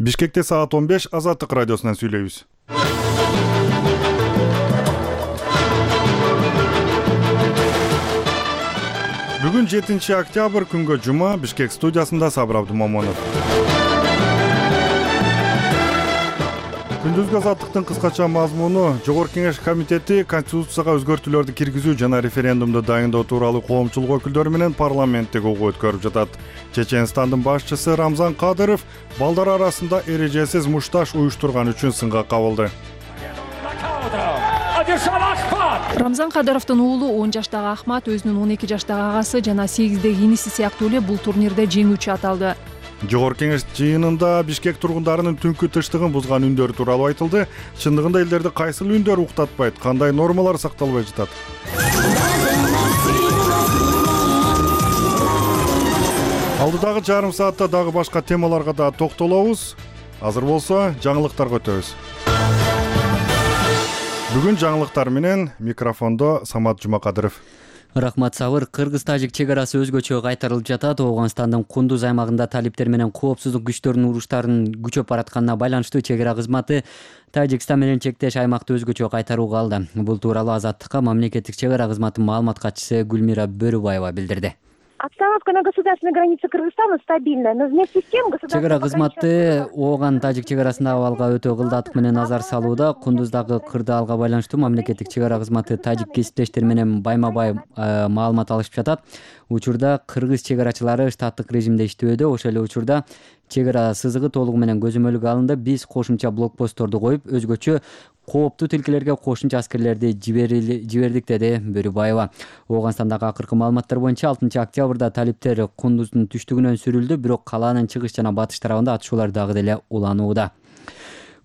Бишкекте саат 15 Азаттык радиосунан сүйлөйбүз. Бүгүн 7 октябрь күнгө жума, Бишкек студиясында Сабыр Абдумомонов. Күндүзгү азаттыктын кыскача мазмуну: Жогорку Кеңеш комитети Конституцияга өзгөртүүлөрдү киргизүү жана референдумду дайындоо тууралуу коомчулук өкүлдөрү менен парламенттик угуу өткөрүп жатат. Чеченстандын башчысы Рамзан Кадыров балдар арасында эрежесиз мушташ уюштурган үчүн сынга кабылды. Рамзан Кадыровдун уулу 10 жаштагы Ахмат өзүнүн 12 жаштагы агасы жана 8деги иниси сыяктуу эле бул турнирде жеңүүчү аталды. Жогорку Кеңеш жыйынында Бишкек тургундарынын түнкү тынчтыгын бузган үндөрү тууралуу айтылды. Чындыгында элдерди кайсыл үндөр уктатпайт, кандай нормалар сакталбай жатат? Алдыдагы жарым саатта дагы башка темаларга да токтолобуз. Азыр болсо, жаңылыктарга өтөбүз. Бүгүн жаңылыктар менен микрофондо Самат Жумакадыров. Рахмат Сабыр. Кыргыз-тажик чек арасы өзгөчө кайтарылып жатат. Ооганстандын Кундуз аймагында талиптер менен коопсуздук күчтөрүнүн уруштарын күчөп баратканына байланыштуу чек ара кызматы Тажикстан менен чектеш аймакты өзгөчө кайтарууга алды. Бул тууралуу Азаттыкка мамлекеттик чек ара кызматынын маалымат катчысы Гүлмира Бөрүбаева билдирди. Обстановка на государственной границе Кыргызстана стабильная, но вместе с тем чек ара кызматы Ооган-Тажик чек арасындагы абалга өтө кылдатык менен назар салууда. Кундуздагы кырдаалга байланыштуу мамлекеттик чек ара кызматы тажик кесиптештери менен байма-бай маалымат алышып жатат. Учурда кыргыз чек арачылары штаттык режимде иштөөдө. Ошол эле учурда чек ара сызыгы толугу менен көзөмөлгө алынды. Биз кошумча блокпостторду коюп, өзгөчө кооптуу тилкелерге кошумча аскерлерди жибердик, деди Бөрүбаева. Ооганстандагы акыркы маалыматтар боюнча 6 октябрда талиптер Кундуздун түштүгүнөн сүрүлдү, бирок калаанын чыгыш жана батыш тарабында атышуулар дагы деле уланууда.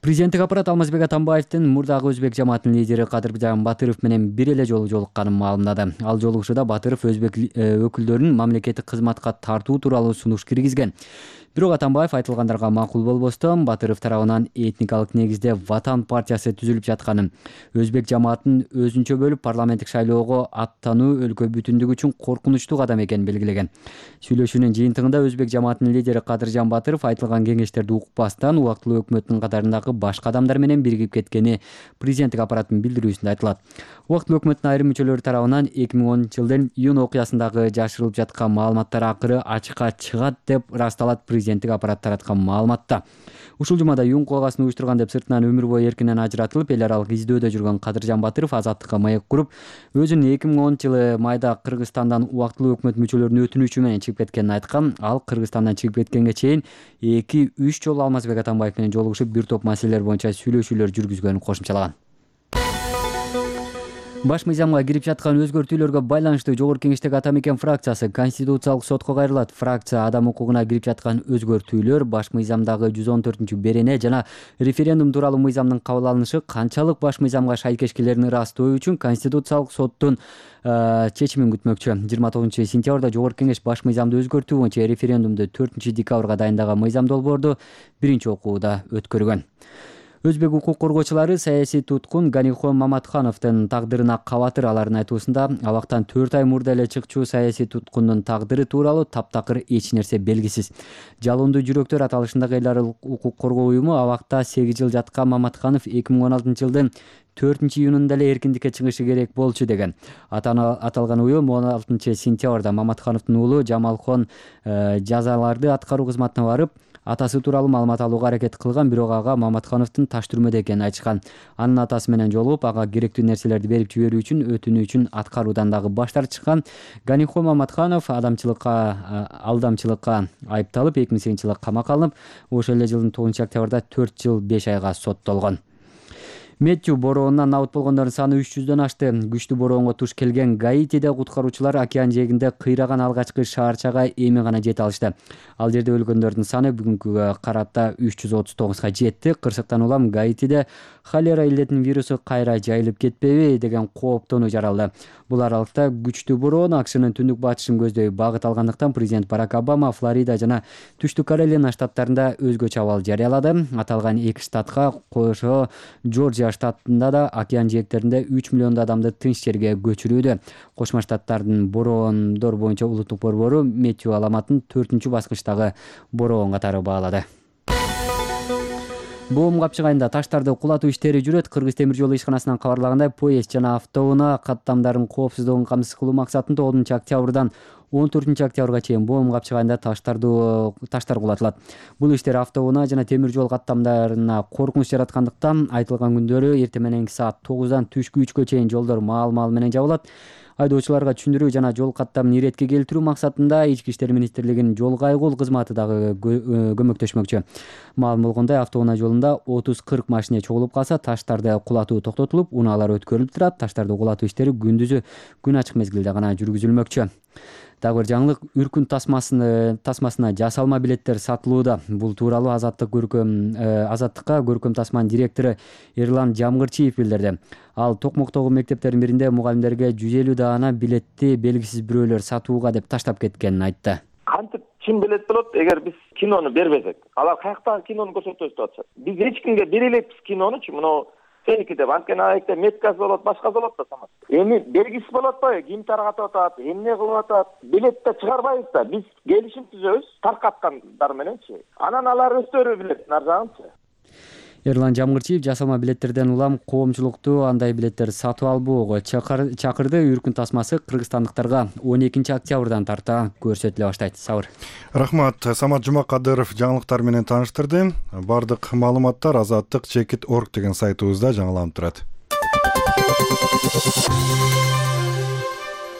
Президенттик аппарат Алмазбек Атамбаевдин мурдагы өзбек жамаатынын лидери Кадыржан Батыров менен бир эле жолу жолукканын маалымдады. Ал жолугушууда Батыров өзбек өкүлдөрүн мамлекеттик кызматка тартуу тууралуу сунуш киргизген. Бирок Атамбаев айтылгандарга макул болбостон Батыров тарабынан этникалык негизде Ватан партиясы түзүлүп жатканын, өзбек жамаатын өзүнчө бөлүп парламенттик шайлоого аттануу өлкө бүтүндүгү үчүн коркунучтуу кадам экенин белгилеген. Сүйлөшүүнүн жыйынтыгында өзбек жамаатынын лидери Кадыржан Батыров айтылган кеңештерди укпастан убактылуу өкмөттүн катарындагы башка адамдар менен биригип кеткени президенттик аппараттын билдирүүсүндө айтылат. Убактылуу өкмөттүн айрым мүчөлөрү тарабынан 2010-жылдын июнь окуясындагы жашырылып жаткан маалыматтар акыры ачыкка чыгат деп ырасталат президенттик аппарат тараткан маалыматта. Ушул жумада июнь окуясын уюштурган деп сыртынан өмүр бою эркинен ажыратылып, эл аралык издөөдө жүргөн Кадыржан Батыров Азаттыкка маек куруп, өзүнүн 2010-жылы майда Кыргызстандан убактылуу өкмөт мүчөлөрүнүн өтүнүчү менен чыгып кеткенин айткан. Ал Кыргызстандан чыгып кеткенге чейин 2-3 жолу Алмазбек Атамбаев менен жолугушуп, бир топ маселелер боюнча сүйлөшүүлөр жүргүзгөнүн кошумчалаган. Баш мыйзамга кирип жаткан өзгөртүүлөргө байланыштуу Жогорку Кеңештеги Атамекен фракциясы Конституциялык сотко кайрылат. Фракция адам укугуна кирип жаткан өзгөртүүлөр, баш мыйзамдагы 114-берене жана референдум тууралуу мыйзамдын кабыл алынышы канчалык баш мыйзамга шайкешкелерин ырастоо үчүн Конституциялык соттун чечимин күтмөкчү. 29-сентябрда Жогорку Кеңеш баш мыйзамды өзгөртүү боюнча референдумду 4-декабрга дайындаган мыйзам долбоорду биринчи окууда өткөргөн. Өзбек укук коргоочулары саясий туткун Ганихон Маматхановдун тагдырына кабатыр. Алардын айтуусунда, абактан 4 ай мурда эле чыкчу саясий туткундун тагдыры тууралуу таптакыр эч нерсе белгисиз. Жалондуу жүрөктөр аталышындагы эл аралык укук коргоо уюму абакта 8 жыл жаткан Маматханов 2016-жылдын 4-июнунда эле эркиндикке чыгышы керек болчу деген. Аталган уюм 16-сентябрда Маматхановдун уулу Жамалхон жазаларды аткаруу кызматына барып, атасы тууралуу маалымат алууга аракет кылган, бирок ага Маматхановдун таш түрмөдө экенин айтышкан. Анын атасы менен жолугуп, ага керектүү нерселерди берип жиберүү үчүн өтүнүүчүн аткаруудан дагы баш тартышкан. Ганихон Маматханов алдамчылыкка айыпталып 2008-жылы камакка алынып, ошол эле жылдын 9-октябрда 4 жыл 5 айга соттолгон. Мэтью бороонунан абут болгондордун саны 300дөн ашты. Күчтүү бороонго туш келген Гаитиде куткаруучулар океан жээгинде кыйраган алгачкы шаарчага эми гана жете алышты. Ал жерде өлгөндөрдүн саны бүгүнкүгө карата 339га жетти. Кырсыктан улам Гаитиде холера илдетинин вирусу кайра жайылып кетпеби деген кооптонуу жаралды. Бул аралыкта күчтүү бороон АКШнын түндүк батышын көздөй багыт алгандыктан президент Барак Обама Флорида жана Түштүк Каролина штаттарында өзгөчө абал жарыялады. Аталган эки штатка кошо Жоржия штатында да океан жээктеринде 3 миллион адамды тынч жерге көчүрүүдө. Кошмо Штаттардын бороондор боюнча улуттук борбору Мэтью аламатын 4-баскычтагы бороон катары баалады. Боом Капчык айында таштарды кулатуу иштери жүрөт. Кыргыз темир жолу ишканасынан кабарлагандай, поезд жана автоунаа каттамдарын коопсуздугун камсыз кылуу максатында 10 октябрдан 14 октябрга чейин Боом Капчык айында таштар кулатылат. Бул иштер автоунаа жана темир жол каттамдарына коркунуч жараткандыктан айтылган күндөрү эртең мененки саат 9дан түшкү 3кө чейин жолдор маал менен жабылат. Айдоочуларга түшүндүрүү жана жол каттамын иретке келтирүү максатында Ички иштер министрлигинин жол кайгул кызматы дагы көмөктөшмөкчү. Маалым болгондой, автоунаа жолунда 30-40 машине чогулуп калса, таштарды кулатуу токтотулуп, унаалар өткөрүлүп турат. Таштарды кулатуу иштери күндүзү күн ачык мезгилде гана жүргүзүлмөкчү. Дагы бир жаңылык, үркүн тасмасына жасалма билеттер сатылууда. Бул тууралуу Азаттыкка көркөм тасманын директору Эрлан Жамгырчиев билдирди. Ал Токмоктогу мектептердин биринде мугалимдерге 150 даана билетти белгисиз бирөөлөр сатууга деп таштап кеткенин айтты. Кантип чын билет болот, эгер биз кинону бербесек? Алар каяктагы кинону көрсөтөбүз деп атышат. Биз эч кимге бере элекпиз кинонучу, мына сеники деп. Анткени аекте меткасы болот, башкасы болот да самат. Эми белгиси болот атпайбы? Ким таратып атат, эмне кылып атат? Билетти чыгарбайбыз да. Биз келишим түзөбүз таркаткандар мененчи. Анан алар өздөрү билет нарсагынчы. Эрлан Жамгырчиев жасалма билеттерден улам коомчулукту андай билеттер сатып албоого чакырды. Үркүн тасмасы кыргызстандыктарга 12 октябрдан тарта көрсөтүлө баштайт. Сабыр. Рахмат. Самат Жумакадыров жаңылыктар менен тааныштырды. Бардык маалыматтар Азаттык.org деген сайтыбызда жаңыланып турат.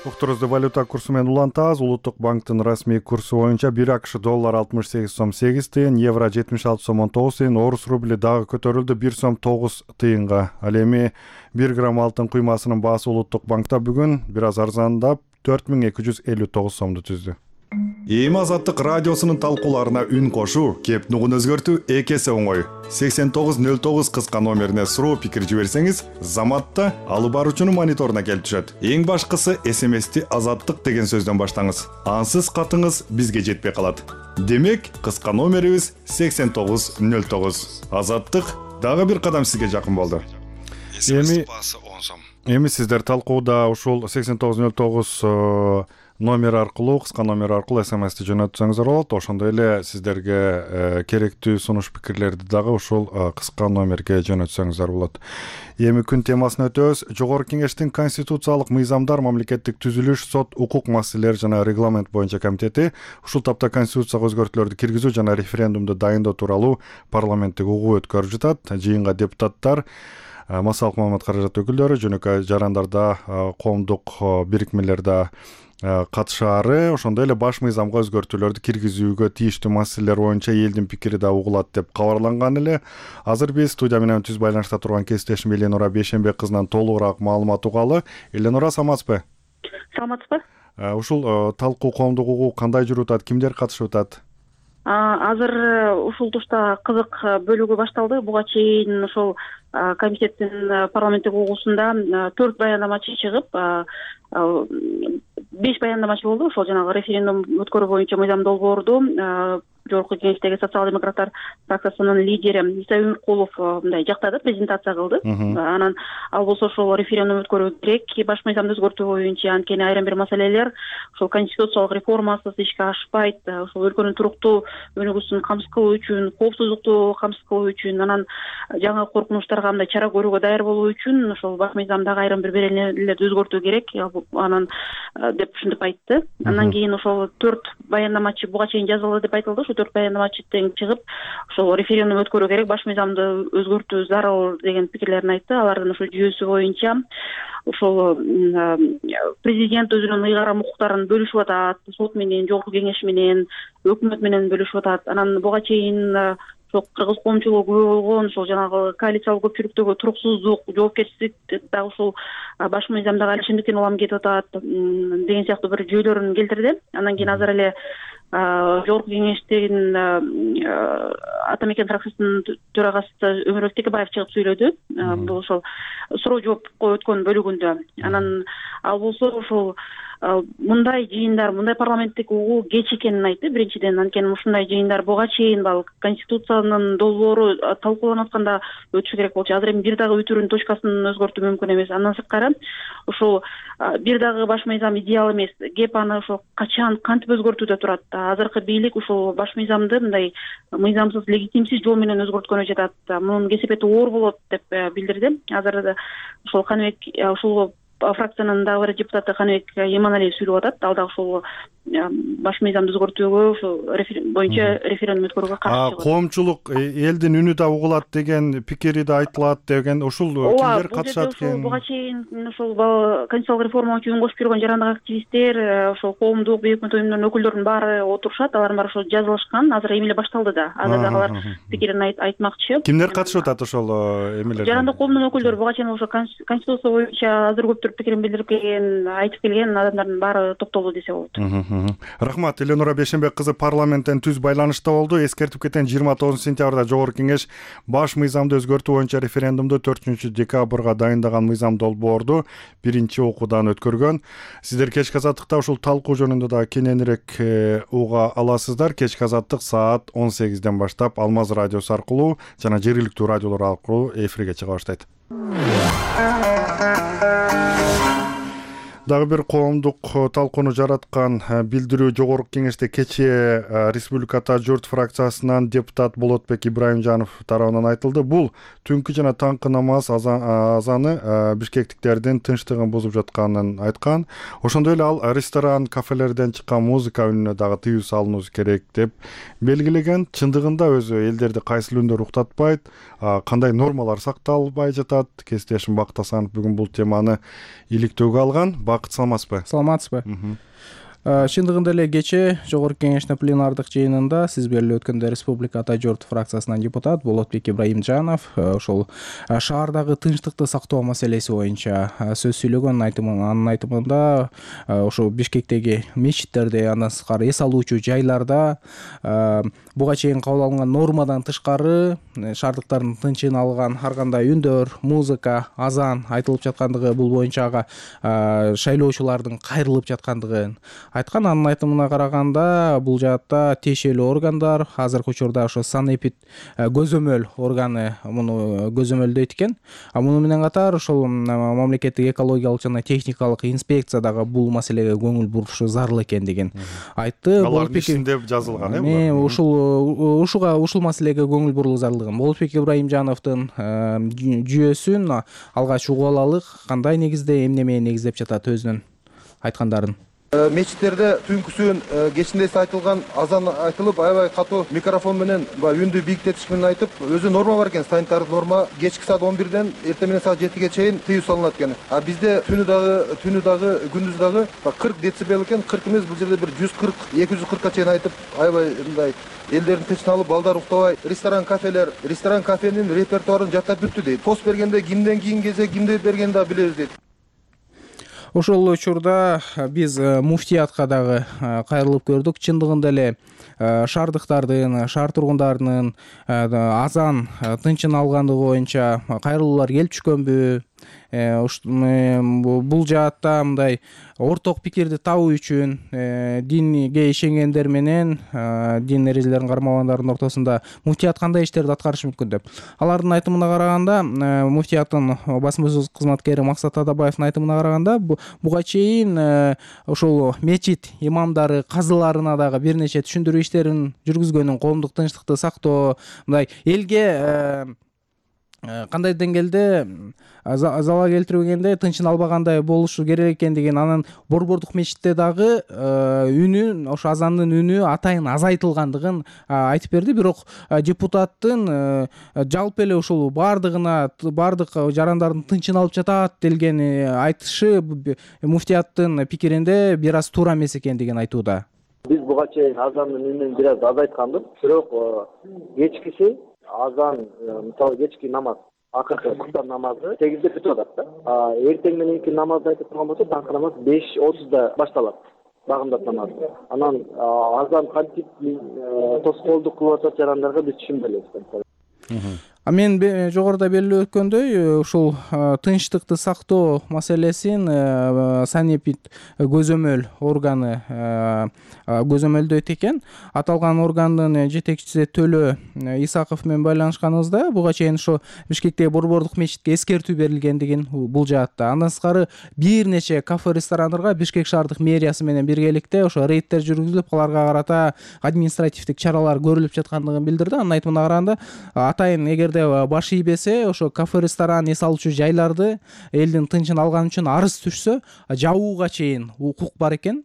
Уктурузду валюта курсу менен улантабыз. Улуттук банктын расмий курсу боюнча 1 АКШ доллар 68 сом 8 тыйын, евро 76 сом 19 тыйын, орус рубли дагы көтөрүлдү 1 сом 9 тыйынга. Ал эми 1 грамм алтын куймасынын баасы Улуттук банкта бүгүн бир аз арзандап 4259 сомду түздү. Эми Азаттык радиосунун талкууларына үн кошуу, кеп нугун өзгөртүү экесе оңой. 8909 кыска номерине суроо пикир жиберсеңиз, заматта алып баруучунун мониторуна келип түшөт. Эң башкысы СМСти Азаттык деген сөздөн баштаңыз. Ансыз катыңыз бизге жетпей калат. Демек, кыска номерибиз 8909. Азаттык дагы бир кадам сизге жакын болду. Эми сиздер талкууда ушул 8909 номер аркылуу, кыска номер аркылуу СМСти жөнөтсөңүздөр болот. Ошондой эле сиздерге керектүү сунуш пикирлерди дагы ушул кыска номерге жөнөтсөңүздөр болот. Эми күн темасына өтөбүз. Жогорку Кеңештин Конституциялык мыйзамдар, мамлекеттик түзүлүш, сот, укук маселелери жана регламент боюнча комитети ушул тапта Конституцияга өзгөртүүлөрдү киргизүү жана референдумду дайындоо тууралуу парламенттик угуу өткөрүп жатат. Жыйынга депутаттар, массалык маалымат каражат өкүлдөрү, жөнөкөй жарандарда, коомдук бирикмелерде катышаары, ошондой эле баш мыйзамга өзгөртүүлөрдү киргизүүгө тийиштүү маселелер боюнча элдин пикири да угулат деп кабарланган эле. Азыр биз студия менен түз байланышта турган кесиптешим Эленора Бейшенбек кызынан толугураак маалымат угалы. Эленора, саламатсызбы? Саламатсызбы? Ушул талкуу коомдук угуу кандай жүрүп атат, кимдер катышып атат? Азыр ушул тушта кызык бөлүгү башталды. Буга чейин ошол комитеттин парламенттик угуусунда 4 баяндамачы чыгып, 5 баяндамачы болду. Ошол жанагы референдум өткөрүү боюнча мыйзам долбоорду Жогорку Кеңештеги социал-демократтар фракциясынын лидери Иса Өмүркулов мындай жактады, презентация кылды. Анан ал болсо ошол референдум өткөрүү керек, баш мыйзамды өзгөртүү боюнча, анткени айрым бир маселелер ошол конституциялык реформасыз ишке ашпайт, ошол өлкөнүн туруктуу өнүгүүсүн камсыз кылуу үчүн, коопсуздукту камсыз кылуу үчүн, анан жаңы коркунучтарга мындай чара көрүүгө даяр болуу үчүн ошол баш мыйзамдагы айрым бир беренелерди өзгөртүү керек, анан деп ушинтип айтты. Андан кийин ошол 4 баяндамачы буга чейин жазылды деп айтылды. 4 баяндамачы тең чыгып, ошол референдум өткөрүү керек, баш мыйзамды өзгөртүү зарыл деген пикирлерин айтты. Алардын ошол жүйөсү боюнча ошол президент өзүнүн ыйгарым укуктарын бөлүшүп атат, сот менен, Жогорку Кеңеш менен, өкмөт менен бөлүшүп атат. Анан буга чейин кыргыз коомчулугу күбө болгон ошол жанагы коалициялык көпчүлүктөгү туруксуздук, жоопкерчилик дагы ушул баш мыйзамдагы алишимдиктен улам кетип атат деген сыяктуу бир жүйөлөрүн келтирди. Андан кийин азыр эле Жогорку Кеңештин Ата Мекен фракциясынын төрагасы Өмүрбек Текебаев чыгып сүйлөдү. Бул ошол суроо жоопко өткөн бөлүгүндө. Анан ал болсо ошол мындай жыйындар, мындай парламенттик угуу кеч экенин айтты биринчиден. Анткени ушундай жыйындар буга чейин конституциянын долбоору талкууланып атканда өтүшү керек болчу. Азыр эми бир дагы өтүүрүнүн точкасын өзгөртүү мүмкүн эмес. Андан сырткары ушул бир дагы баш мыйзам идеал эмес. Кеп аны ошо качан кантип өзгөртүүдө турат. Азыркы бийлик ушул баш мыйзамды мындай мыйзамсыз, легитимсиз жол менен өзгөрткөнү жатат. Мунун кесепети оор болот деп билдирди. Азыр ушул Каныбек, ушул фракциянын дагы бир депутаты Каныбек Иманалиев сүйлөп атат. Ал дагы ушул баш мыйзамды өзгөртүүгө ушул боюнча референдум өткөрүүгө каршы чыгат. Коомчулук элдин үнү да угулат деген пикири да айтылат деген. Ушул кимдер катышат экен? Буга чейин ушул конституциялык реформага үн кошуп жүргөн жарандык активисттер, ошол коомдук бейик өкмөт уюмдарынын өкүлдөрүнүн баары отурушат. Алардын баары ошо жазылышкан. Азыр эми эле башталды да. Азыр дагы алар пикирин айтмакчы. Кимдер катышып атат ошол эмелерге? Жарандык коомдун өкүлдөрү буга чейин ошо конституция боюнча азыр көптүр пикирин билдирип келген, айтып келген адамдардын баары топтолду десе болот. Рахмат. Эленура Бейшенбек кызы парламенттен түз байланышта болду. Эскертип кетен 29 сентябрда Жогорку Кеңеш баш мыйзамды өзгөртүү боюнча референдумду 4 декабрга дайындаган мыйзам долбоорду биринчи окуудан өткөргөн. Сиздер кечки азаттыкта ушул талкуу жөнүндө да кененирээк уга аласыздар. Кечки азаттык саат 18ден баштап Алмаз радиосу аркылуу жана жергиликтүү радиолор аркылуу эфирге чыга баштайт. Дагы бир коомдук талкууну жараткан билдирүү Жогорку Кеңеште кечээ Республиката журт фракциясынан депутат Болотбек Ибраимжанов тарабынан айтылды. Бул түнкү жана таңкы намаз азаны бишкектиктердин тынчтыгын бузуп жатканын айткан. Ошондой эле ал ресторан, кафелерден чыккан музыка үнүнө дагы тыюу салынуу керек деп белгилеген. Чындыгында өзү элдерди кайсыл үндөр уктатпайт, кандай нормалар сакталбай жатат? Кесиптешим Бакыт Асанов бүгүн бул теманы иликтөөгө алган. Бакыт, саламатсызбы? Саламатсызбы. Чындыгында эле кечээ Жогорку Кеңештин пленардык жыйынында сиз белгилеп өткөндөй Республика Ата журт фракциясынан депутат Болотбек Ибраимжанов ошол шаардагы тынчтыкты сактоо маселеси боюнча сөз сүйлөгөн. Анын айтымында ошо Бишкектеги мечиттерде, андан сырткары эс алуучу жайларда буга чейин кабыл алынган нормадан тышкары шаардыктардын тынчын алган ар кандай үндөр, музыка, азан айтылып жаткандыгы, бул боюнча ага шайлоочулардын кайрылып жаткандыгын айткан. Анын айтымына караганда бул жаатта тиешелүү органдар азыркы учурда ошо санэпид көзөмөл органы муну көзөмөлдөйт экен. Муну менен катар ошол мамлекеттик экологиялык жана техникалык инспекция дагы бул маселеге көңүл бурушу зарыл экендигин айтты. Алардын ишинде жазылган ушул маселеге көңүл буруу зарылдыгын. Болотбек Ибраимжановдун жүйөсүн алгач угуп алалык. Кандай негизде, эмнеме негиздеп жатат өзүнүн айткандарын? Мечиттерде түнкүсүн кечинде айтылган азан айтылып, аябай катуу микрофон менен үндү бийиктетиш менен айтып, өзү норма бар экен, санитардык норма. Кечки саат 11ден эртең менен саат 7ге чейин тыюу салынат экен. Бизде түнү дагы күндүз дагы 40 децибел экен. 40 эмес, бул жерде бир 140-240ка чейин айтып, аябай мындай элдердин тынчын алып, балдар уктабай, ресторан кафенин репертуарын жаттап бүттү дейт. Пост бергенде кимден кийин келсе, кимди бергенин да билебиз дейт. Ошол учурда биз муфтиятка дагы кайрылып көрдүк. Чындыгында эле шаардыктардын, шаар тургундарынын азан тынчын алгандыгы боюнча кайрылуулар келип түшкөнбү? Бул жаатта мындай орток пикирди табуу үчүн динге ишенгендер менен дин эрежелерин кармагандардын ортосунда муфтият кандай иштерди аткарышы мүмкүн деп. Алардын айтымына караганда, муфтияттын басма-сөз кызматкери Максат Атабаевдин айтымына караганда, буга чейин ошол мечит имамдары, казыларына дагы бир нече түшүндүрүү иштерин жүргүзгөнүн, коомдук тынчтыкты сактоо, мындай элге кандай деңгээлде залал келтирбегенде, тынчын албагандай болушу керек экендигин, анан борбордук мечитте дагы үнү, ошо азандын үнү атайын азайтылгандыгын айтып берди. Бирок депутаттын жалпы эле ушул бардык жарандардын тынчын алып жатат делген айтышы муфтияттын пикиринде бир аз туура эмес экендигин айтууда. Биз буга чейин азандын үнүн бир аз азайтканбыз, бирок кечкиси азан, мисалы кечки намаз, акыркы куптан намазы 8де бүтүп атат да. Эртең мененки намазды айтып турган болсо, таңкы намаз 5:30да башталат. Багымдат намазы. Анан азан кантип тоскоолдук кылып атат жарандарга биз түшүнбөй элебиз. Мен жогоруда белгилеп өткөндөй, ушул тынчтыкты сактоо маселесин санэпид көзөмөл органы көзөмөлдөйт экен. Аталган органдын жетекчиси Төлө Исаков менен байланышканыбызда буга чейин ошо Бишкектеги Борбордук мечитке эскертүү берилгендигин бул жаатта. Андан сырткары бир нече кафе ресторандарга Бишкек шаардык мэриясы менен биргеликте ошо рейдтер жүргүзүлүп, аларга карата административдик чаралар көрүлүп жаткандыгын билдирди. Анын айтымына караганда атайын эгерде баш ийбесе ошо кафе ресторан эс алуучу жайларды элдин тынчын алган үчүн арыз түшсө жабууга чейин укук бар экен.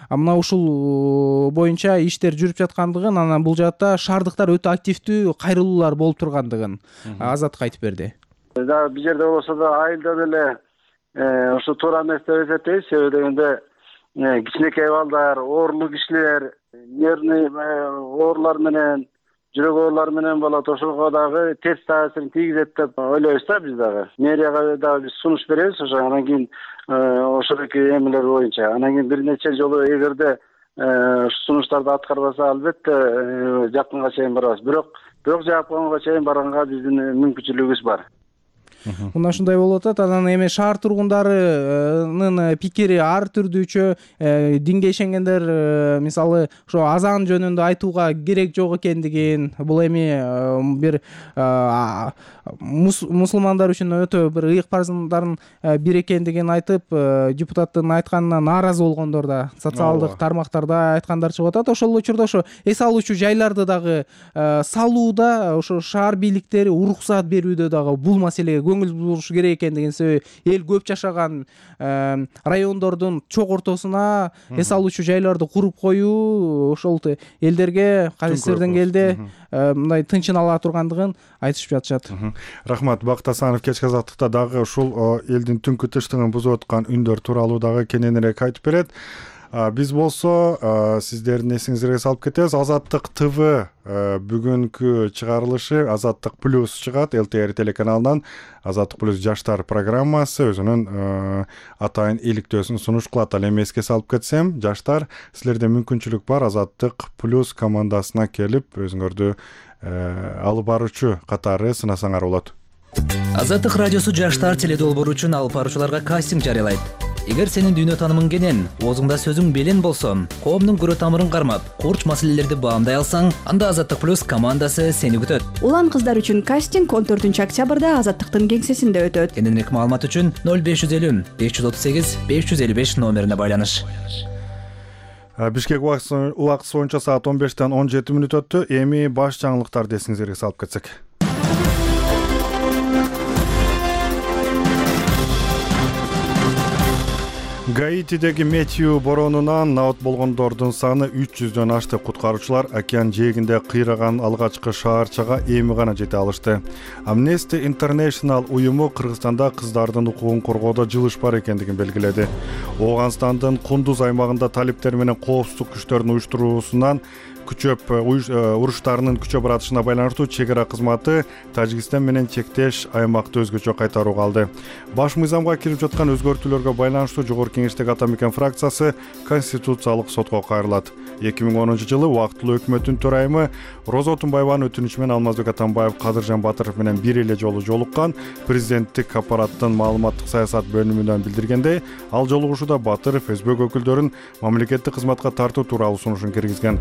Мына ушул боюнча иштер жүрүп жаткандыгын, анан бул жаатта шаардыктар өтө активдүү кайрылуулар болуп тургандыгын Азатка айтып берди. Бул жерде болсо да айылда деле ошо туура эмес деп эсептейбиз. Себеби дегенде кичинекей балдар, оорулуу кишилер, нервный оорулар менен, жүрөк оорулары менен болот. Ошого дагы терс таасирин тийгизет деп ойлойбуз да биз дагы. Мэрияга дагы биз сунуш беребиз ошо. Анан кийин ошодоки эмелер боюнча. Анан кийин бир нече жолу эгерде сунуштарды аткарбаса, албетте жакынга чейин барабыз. Бирок жаап койгонго чейин барганга биздин мүмкүнчүлүгүбүз бар. Мына ушундай болуп атат. Анан эми шаар тургундарынын пикири ар түрдүүчө. Динге ишенгендер мисалы ошо азан жөнүндө айтууга керек жок экендигин, бул эми бир мусулмандар үчүн өтө бир ыйык парыздардын бири экендигин айтып, депутаттын айтканына нааразы болгондор да социалдык тармактарда айткандар чыгып атат. Ошол учурда ошо эс алуучу жайларды дагы салууда ошо шаар бийликтери уруксаат берүүдө дагы бул маселеге көңүл буруш керек экендигин, себеби эл көп жашаган райондордун чок ортосуна эс алуучу жайларды куруп коюу ошол элдерге кайсы деңгээлде мындай тынчын ала тургандыгын айтышып жатышат. Рахмат. Бакыт Асанов кечки азаттыкта дагы ушул элдин түнкү тынчтыгын бузуп аткан үндөр тууралуу дагы кененирээк айтып берет. Биз болсо сиздердин эсиңизге салып кетебиз. Азаттык ТВ бүгүнкү чыгарылышы Азаттык плюс чыгат. ЛТР телеканалынан Азаттык плюс жаштар программасы өзүнүн атайын иликтөөсүн сунуш кылат. Ал эми эске салып кетсем, жаштар, силерде мүмкүнчүлүк бар Азаттык плюс командасына келип өзүңөрдү алып баруучу катары сынасаңар болот. Азаттык радиосу жаштар теледолбоору үчүн алып баруучуларга кастинг жарыялайт. Эгер сенин дүйнө таанымың кенен, оозуңда сөзүң белен болсо, коомдун көрө тамырын кармап, курч маселелерди баамдай алсаң, анда Азаттык плюс командасы сени күтөт. Улан кыздар үчүн кастинг 14-октябрда Азаттыктын кеңсесинде өтөт. Кененирээк маалымат үчүн 0550 538 555 номерине байланыш. Бишкек убакыты боюнча саат 15-тен 17 мүнөт өттү. Эми баш жаңылыктарды эсиңизге салып кетсек. Гаитидеги Метью боронунан наот болгондордун саны 300дөн ашты. Куткаруучулар океан жээгинде кыйраган алгачкы шаарчага эми гана жете алышты. Amnesty International уюму Кыргызстанда кыздардын укугун коргоодо жылыш бар экендигин белгиледи. Ооганстандын Кундуз аймагында талиптер менен коопсуздук күчтөрүнүн уюштуруусунан уруштарынын күчөп баратышына байланыштуу чек ара кызматы Тажикстан менен чектеш аймакты өзгөчө кайтарууга алды. Баш мыйзамга кирип жаткан өзгөртүүлөргө байланыштуу Жогорку Кеңештеги Ата Мекен фракциясы Конституциялык сотко кайрылат. 2010-жылы убактылуу өкмөттүн төрайымы Роза Отунбаеванын өтүнүчү менен Алмазбек Атамбаев Кадыржан Батыров менен бир эле жолу жолуккан. Президенттик аппараттын маалыматтык саясат бөлүмүнөн билдиргендей, ал жолугушууда Батыров СБ өкүлдөрүн мамлекеттик кызматка тартуу тууралуу сунушун киргизген.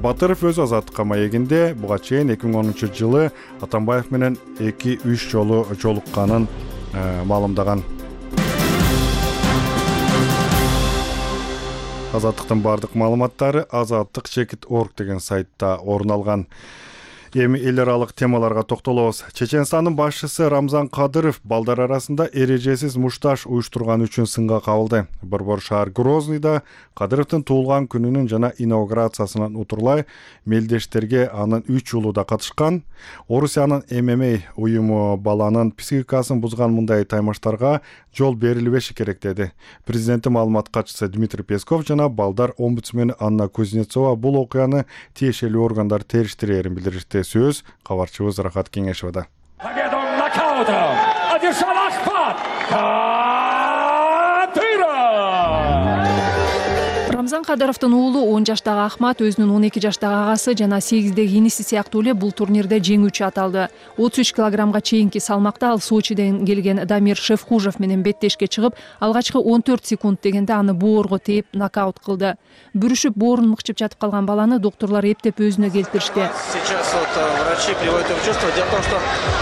Батыров өзү азаттыкка маегинде буга чейин 2010-жылы Атамбаев менен 2-3 жолу жолукканын маалымдаган. Азаттыктын бардык маалыматтары azattik.org деген сайтта орун алган. Эми эл аралык темаларга токтолобуз. Чеченстандын башчысы Рамзан Кадыров балдар арасында эрежесиз мушташ уюштурган үчүн сынга кабылды. Борбор шаар Грознийда Кадыровдун туулган күнүнүн жана инаугурациясынан утурлай мелдештерге анын 3 уулу да катышкан. Орусиянын ММА уюму баланын психикасын бузган мындай таймаштарга жол берилбеши керек деди. Президенттин маалымат катчысы Дмитрий Песков жана балдар омбудсмени Анна Кузнецова бул окуяны тиешелүү органдар териштирээрин билдиришти. Сөз кабарчыбыз Рахат Кеңешовада. Рамзан Кадыровдун уулу 10 жаштагы Ахмат өзүнүн 12 жаштагы агасы жана 8деги иниси сыяктуу эле бул турнирде жеңүүчү аталды. 33 килограммга чейинки салмакта ал Сочиден келген Дамир Шевхужев менен беттешке чыгып, алгачкы 14 секунд дегенде аны боорго тээп нокаут кылды. Бүрүшүп боорун мыкчып жатып калган баланы доктурлар эптеп өзүнө келтиришти. Сейчас врачи приводят в чувство. Дело в том, что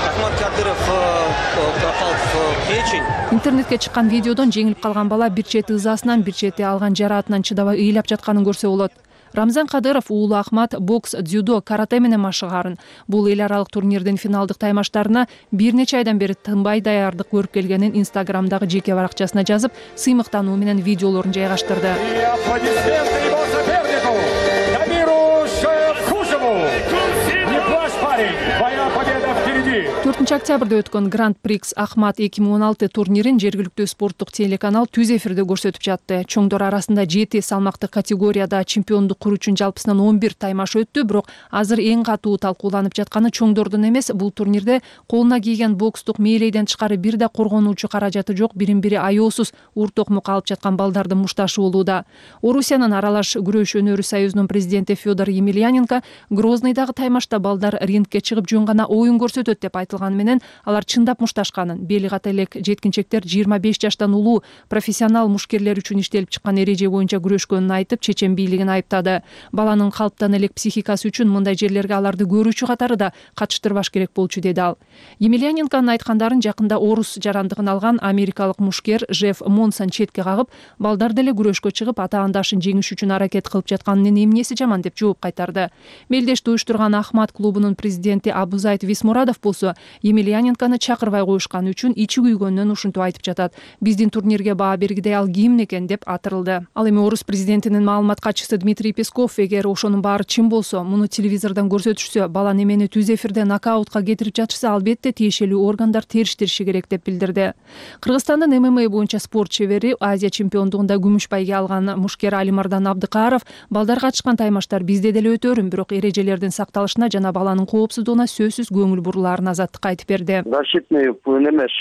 Ахмат Кадыров попал в печень. Интернетке чыккан видеодон жеңилип калган бала бир чети ызасынан, бир чети алган жараатынан чыдабай ыйлап жатканын көрсө болот. Рамзан Кадыров уулу Ахмат бокс, дзюдо, карате менен машыгарын. Бул эл аралык турнирдин финалдык таймаштарына бир нече айдан бери тынбай даярдык көрүп келгенин Инстаграмдагы жеке баракчасына жазып, сыймыктануу менен видеолорун жайгаштырды. Твоя победа впереди! 4 октябрда өткөн Гранд Прикс Ахмат 2016 турнирин жергиликтүү спорттук телеканал түз эфирде көрсөтүп жатты. Чоңдор арасында 7 салмактык категорияда чемпиондук куруу үчүн жалпысынан 11 таймаш өттү, бирок азыр эң катуу талкууланып жатканы чоңдордун эмес, бул турнирде колуна кийген бокстук мээлейден тышкары бир да коргонуучу каражаты жок, бирин-бири аеосуз уртокмук алып жаткан балдардын мушташы болууда. Орусиянын аралаш күрөш өнөрү союзунун президенти Федор Емельяненко Грозныйдагы таймашта балдар рингке чыгып жөн гана оюн көрсөтөт деп айтылган менен алар чындап мушташканын, бели ката элек жеткинчектер 25 жаштан улуу профессионал мушкерлер үчүн иштелип чыккан эреже боюнча күрөшкөнүн айтып, чечен бийлигин айыптады. Баланын калыптан элек психикасы үчүн мындай жерлерге аларды көрүүчү катары да катыштырбаш керек болчу, деди ал. Емельяненконун айткандарын жакында орус жарандыгын алган америкалык мушкер Жеф Монсон четке кагып, балдар деле күрөшкө чыгып, атаандашын жеңиш үчүн аракет кылып жатканынын эмнеси жаман деп жооп кайтарды. Мелдешти уюштурган Ахмат клубунун президенти Абузайт Висмурадов болсо, Емельяненкону чакырбай коюшканы үчүн ичи күйгөнүнөн ушинтип айтып жатат. Биздин турнирге баа бергидей ал ким экен деп атырылды. Ал эми орус президентинин маалымат катчысы Дмитрий Песков эгер ошонун баары чын болсо, муну телевизордон көрсөтүшсө, бала немени түз эфирде нокаутка кетирип жатышса, албетте тиешелүү органдар териштириши керек деп билдирди. Кыргызстандын ММА боюнча спорт чебери, Азия чемпиондугунда күмүш байге алган мушкер Алимардан Абдыкаров балдар катышкан таймаштар бизде деле өтөрүн, бирок эрежелердин сакталышына жана баланын коопсуздугуна сөзсүз көңүл бурулаарын азаттыкка айтып берди. Защитный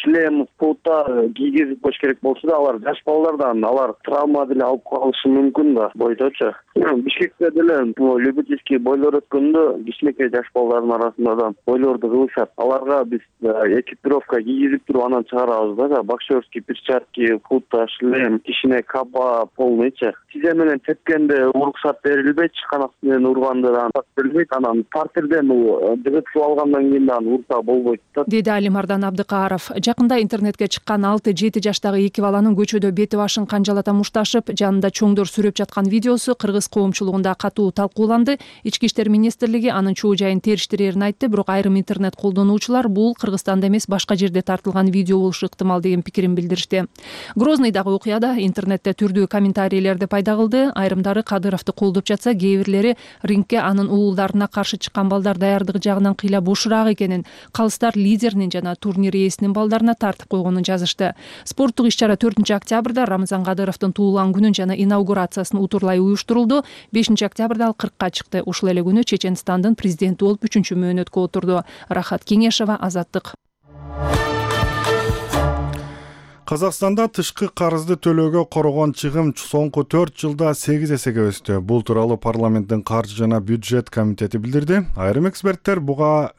шлем, пулта кийгизип коюш керек болсо да, алар жаш балдардан алар травма деле алып калышы мүмкүн да бойдочу. Бишкекте деле любительский бойлор өткөндө кичинекей жаш балдардын арасында да бойлорду кылышат. Аларга биз экипировка кийгизип туруп анан чыгарабыз да, боксерский перчатки, пулта, шлем, кичине каба полныйчы. Тизе менен тепкенде уруксат берилбейт, канат менен урганда да берилбейт, анан партерден жыгытып алгандан кийин да урта болбойт да, деди Алимардан Абдыкаров. Жакында интернетке чыккан 6-7 жаштагы эки баланын көчөдө бети башын канжалата мушташып, жанында чоңдор сүрөп жаткан видеосу кыргыз коомчулугунда катуу талкууланды. Ички иштер министрлиги анын чоо жайын териштирерин айтты, бирок айрым интернет колдонуучулар бул Кыргызстанда эмес, башка жерде тартылган видео болушу ыктымал деген пикирин билдиришти. Грознойдагы окуяда интернетте түрдүү комментарийлерди пайда кылды. Айрымдары Кадыровду колдоп жатса, кээ бирлери рингке анын уулдарына каршы чыккан балдар даярдыгы жагынан кыйла бошураак экенин, калыстар лидеринин жана турнир ээсинин балдарына тартып койгонун жазышты. Спорттук иш-чара 4 октябрда Рамзан Кадыровдун туулган күнүн жана инаугурациясын утурлай уюштурулду. 5 октябрда ал 40-ка чыкты. Ушул эле күнү Чеченстандын президенти болуп 3-чү мөөнөткө отурду. Рахат Кеңешова, Азаттык. Казакстанда тышкы карызды төлөөгө корогон чыгым соңку 4 жылда 8 эсеге өстү. Бул тууралуу парламенттин каржы жана бюджет комитети билдирди. Айрым эксперттер буга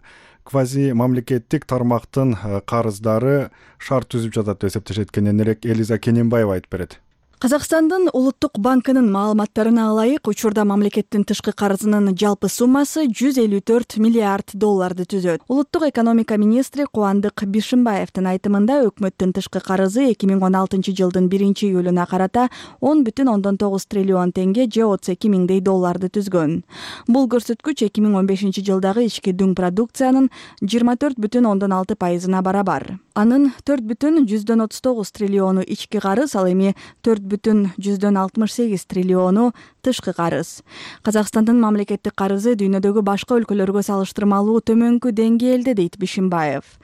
квази мамлекеттик тармактын карыздары шарт түзүп жатат деп эсептешет. Кененирээк Элиза Кененбаева айтып берет. Казакстандын улуттук банкынын маалыматтарына ылайык, учурда мамлекеттин тышкы карызынын жалпы суммасы 154 миллиард долларды түзөт. Улуттук экономика министри Кубандык Бишимбаевдин айтымында өкмөттүн тышкы карызы 2016 жылдын 1-июлуна карата 10,9 триллион теңге же 32 миңдей долларды түзгөн. Бул көрсөткүч 2015 жылдагы ички дүң продукциянын 24,6%-на барабар. Анын 4,139 триллиону ички карыз, ал эми 4,168 триллиону тышкы карыз. Казакстандын мамлекеттик карызы дүйнөдөгү башка өлкөлөргө салыштырмалуу төмөнкү деңгээлде, дейт Бишимбаев.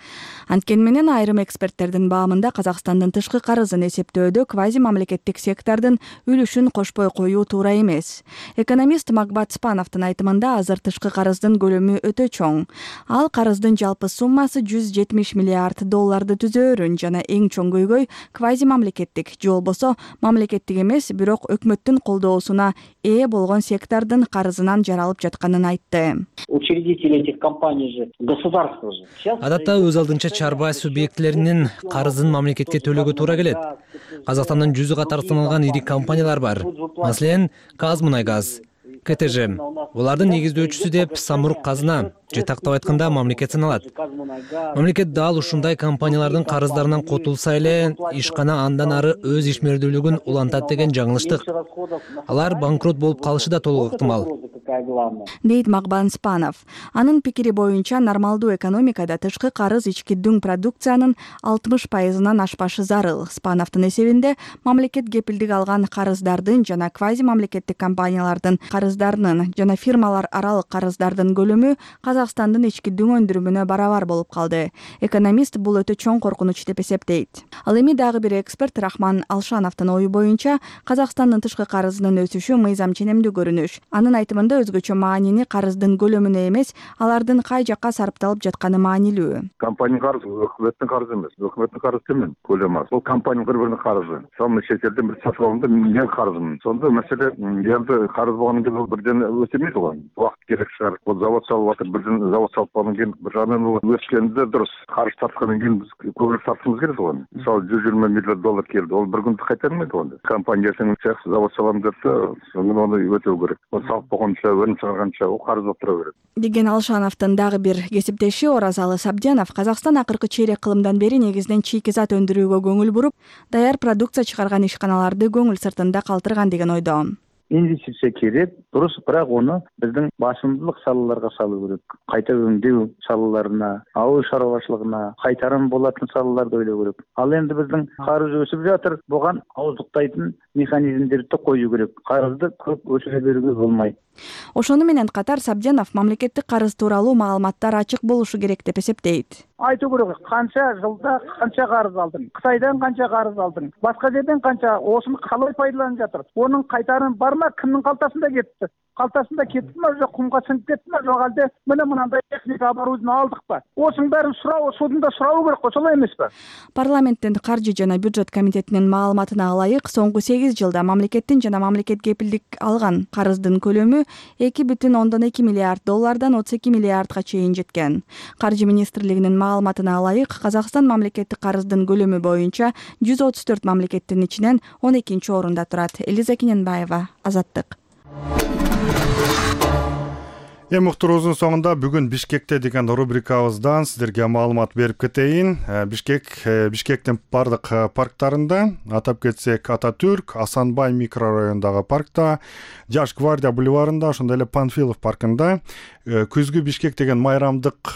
Анткени менен айрым эксперттердин баамында Казакстандын тышкы карызын эсептөөдө квази мамлекеттик сектордун үлүшүн кошпой коюу туура эмес. Экономист Макбат Спановдун айтымында азыр тышкы карыздын көлөмү өтө чоң. Ал карыздын жалпы суммасы 170 миллиард долларды түзөөрүн жана эң чоң көйгөй квази мамлекеттик же болбосо мамлекеттик эмес, бирок өкмөттүн колдоосуна ээ болгон сектордун карызынан жаралып жатканын айтты. Учредители этих компаний же государство же. Адатта өз алдынча чарба субъектилеринин карызын мамлекетке төлөөгө туура келет. Казакстандын 100 катар саналган ири компаниялар бар. Маселен, Казмунайгаз, КТЖ. Булардын негиздөөчүсү деп самұрық казына, же тактап айтканда мамлекет саналат. Мамлекет дал ушундай компаниялардын карыздарынан котулса эле, ишкана андан ары өз ишмердүүлүгүн улантат деген жаңылыштык. Алар банкрот болуп калышы да толук ыктымал, дейт Магбан Спанов. Анын пикири боюнча нормалдуу экономикада тышкы карыз ички дүң продукциянын 60%-ынан ашпашы зарыл. Спановдун эсебинде мамлекет кепилдик алган карыздардын жана квази мамлекеттик компаниялардын карыздарынын жана фирмалар аралык карыздардын көлөмү Казакстандын ички дүң өндүрүмүнө барабар болуп калды. Экономист бул өтө чоң коркунуч деп эсептейт. Ал эми дагы бир эксперт Рахман Алшановдун ою боюнча Казакстандын тышкы карызынын өсүшү мыйзам ченемдүү көрүнүш. Анын айтымында өзгөчө маанини карыздын көлөмүнө эмес, алардын кай жакка сарпталып жатканы маанилүү. Компания карызы өкмөттүн карызы эмес. Өкмөттүн карызы төмөн, көлөмү аз. Бул компания бири-биринин карызы. Сонун чет элден бир сатып алганда мен карызмын. Сонда маселе эми карыз болгондон кийин бирден өсөмөйт го. Убакыт керек чыгар. Бул завод салып атыр, бирден завод салып алгандан кийин бир жагынан өскөндө дурус карыз тарткандан кийин биз көбүрөөк тартышыбыз керек го. Мисалы $120 миллион келди. Ол бир күндө кайтармайт го. Компания сен завод салам деп аны өтөө керек. Ол салып болгончо чыгарганча о карыз болуп тура берет. Деген Алшановдун дагы бир кесиптеши Оразалы Сабденов Казакстан акыркы чейрек кылымдан бери негизинен чийки зат өндүрүүгө көңүл буруп, даяр продукция чыгарган ишканаларды көңүл сыртында калтырган деген ойдо. Инвестиция керек, дурус, бирок ону биздин басымдуулук салаларга салуу керек. Кайта өңдөө салаларына, ауыл шаруашылыгына, кайтарым болатын салаларды ойлоо керек. Ал энди биздин карыз өсүп жатыр, буга ауыздуктайтын механизмдерди коюу керек. Карызды көп өсүрө берүүгө болмойт. Ошону менен катар Сабденов мамлекеттик карыз тууралуу маалыматтар ачык болушу керек деп эсептейт. Айтуу керек, канча жылда канча карыз алдың, Кытайдан канча карыз алдың, башка жерден канча, осуну калай пайдаланып жатыр. Онун кайтарымы бармы, кимдин калтасында кетти? Калтасында кеттиби, же кумга сиңип кеттиби, же алде мына мындай техника оборудование алдыкпы? Осунун баарын суроо, судунда сурабы керек, ошолой эмеспи? Парламенттин каржы жана бюджет комитетинин маалыматына ылайык, соңку 8 жылда мамлекеттин жана мамлекет кепилдик алган карыздын көлөмү $2,2 миллиард $32 миллиардга чейин жеткен. Каржы министрлигинин маалыматына ылайык, Казакстан мамлекеттик карыздын көлөмү боюнча 134 мамлекеттин ичинен 12-нчи орунда турат. Элиза Кененбаева, Азаттык. Эми уктуруубуздун соңунда бүгүн Бишкекте деген рубрикабыздан сиздерге маалымат берип кетейин. Бишкектин бардык парктарында, атап кетсек Ататүрк, Асанбай микрорайонундагы паркта, Жаш гвардия бульварында, ошондой эле Панфилов паркында күзгү Бишкек деген майрамдык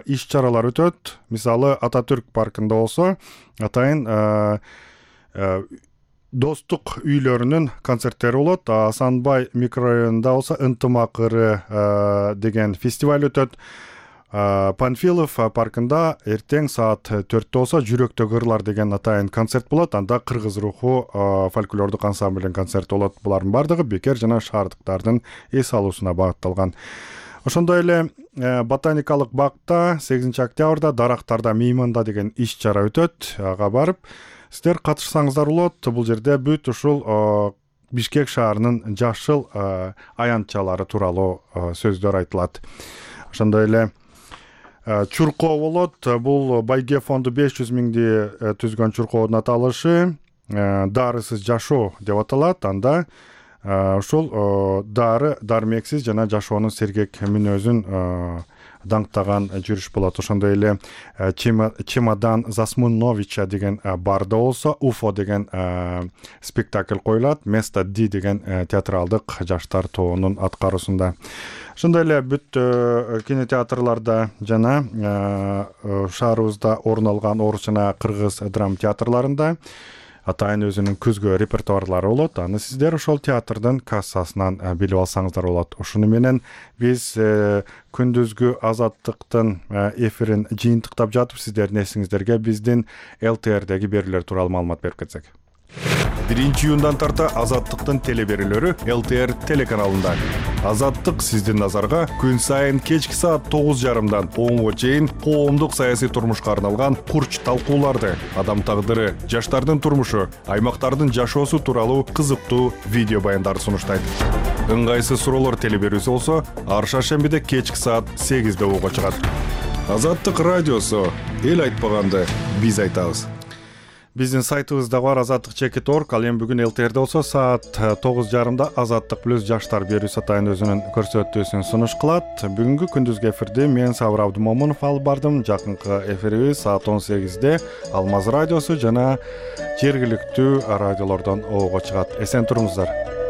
иш-чаралар өтөт. Мисалы Ататүрк паркында болсо, атайын достук үйлөрүнүн концерттери болот. Асанбай микрорайонунда болсо Ынтымак ыры деген фестиваль өтөт. Панфилов паркында эртең саат 4-тө болсо Жүрөктөгү ырлар деген атайын концерт болот. Анда кыргыз руху фольклордук ансамблдин концерти болот. Булардын бардыгы бекер жана шаардыктардын эс алуусуна багытталган. Ошондой эле ботаникалык бакта 8-октябрда дарактарда мейманда деген иш-чара өтөт. Ага барып сиздер катышсаңыздар болот. Бул жерде бүт ушул Бишкек шаарынын жашыл аянтчалары тууралуу сөздөр айтылат. Ошондой эле чуркоо болот. Бул Байге фонду 500 миңди түзгөн чуркоонун аталышы дарысыз жашоо деп аталат. Анда ушул дармексиз жана жашоонун сергек мүнөзүн даңктаган жүрүш болот. Ошондой эле Чемодан Засмуновича деген барда болсо Уфо деген спектакль коюлат. Место Ди деген театралдык жаштар тобунун аткаруусунда. Ошондой эле бүт кинотеатрларда жана шаарыбызда орун алган орус жана кыргыз драма театрларында атайын өзүнүн күзгү репертуарлары болот. Аны сиздер ошол театрдын кассасынан билип алсаңыздар болот. Ошону менен биз күндүзгү Азаттыктын эфирин жыйынтыктап жатып, сиздердин эсиңиздерге биздин ЛТРдеги берүүлөр тууралуу маалымат берип кетсек. 1-июндан тарта Азаттыктын телеберүүлөрү ЛТР телеканалында. Азаттык сиздин назарга күн сайын кечки саат 9:30дан 10-го чейин коомдук саясий турмушка арналган курч талкууларды, адам тагдыры, жаштардын турмушу, аймактардын жашоосу тууралуу кызыктуу видео баяндарды сунуштайт. ыңгайсыз суроолор телеберүүсү болсо ар шаршембиде кечки саат 8 ого чыгат. Азаттык радиосу, эл айтпаганды биз айтабыз. Биздин сайтыбызда бар azattik.org. Ал эми бүгүн ЛТРде болсо саат 9:30 Азаттык плюс жаштар берүүсү атайын өзүнүн көрсөтүүсүн сунуш кылат. Бүгүнкү күндүзгү эфирди мен Сабыр Абдымомунов алып бардым. Жакынкы эфирибиз саат 18-де Алмаз радиосу жана жергиликтүү радиолордон ого чыгат. Эсен туруңуздар.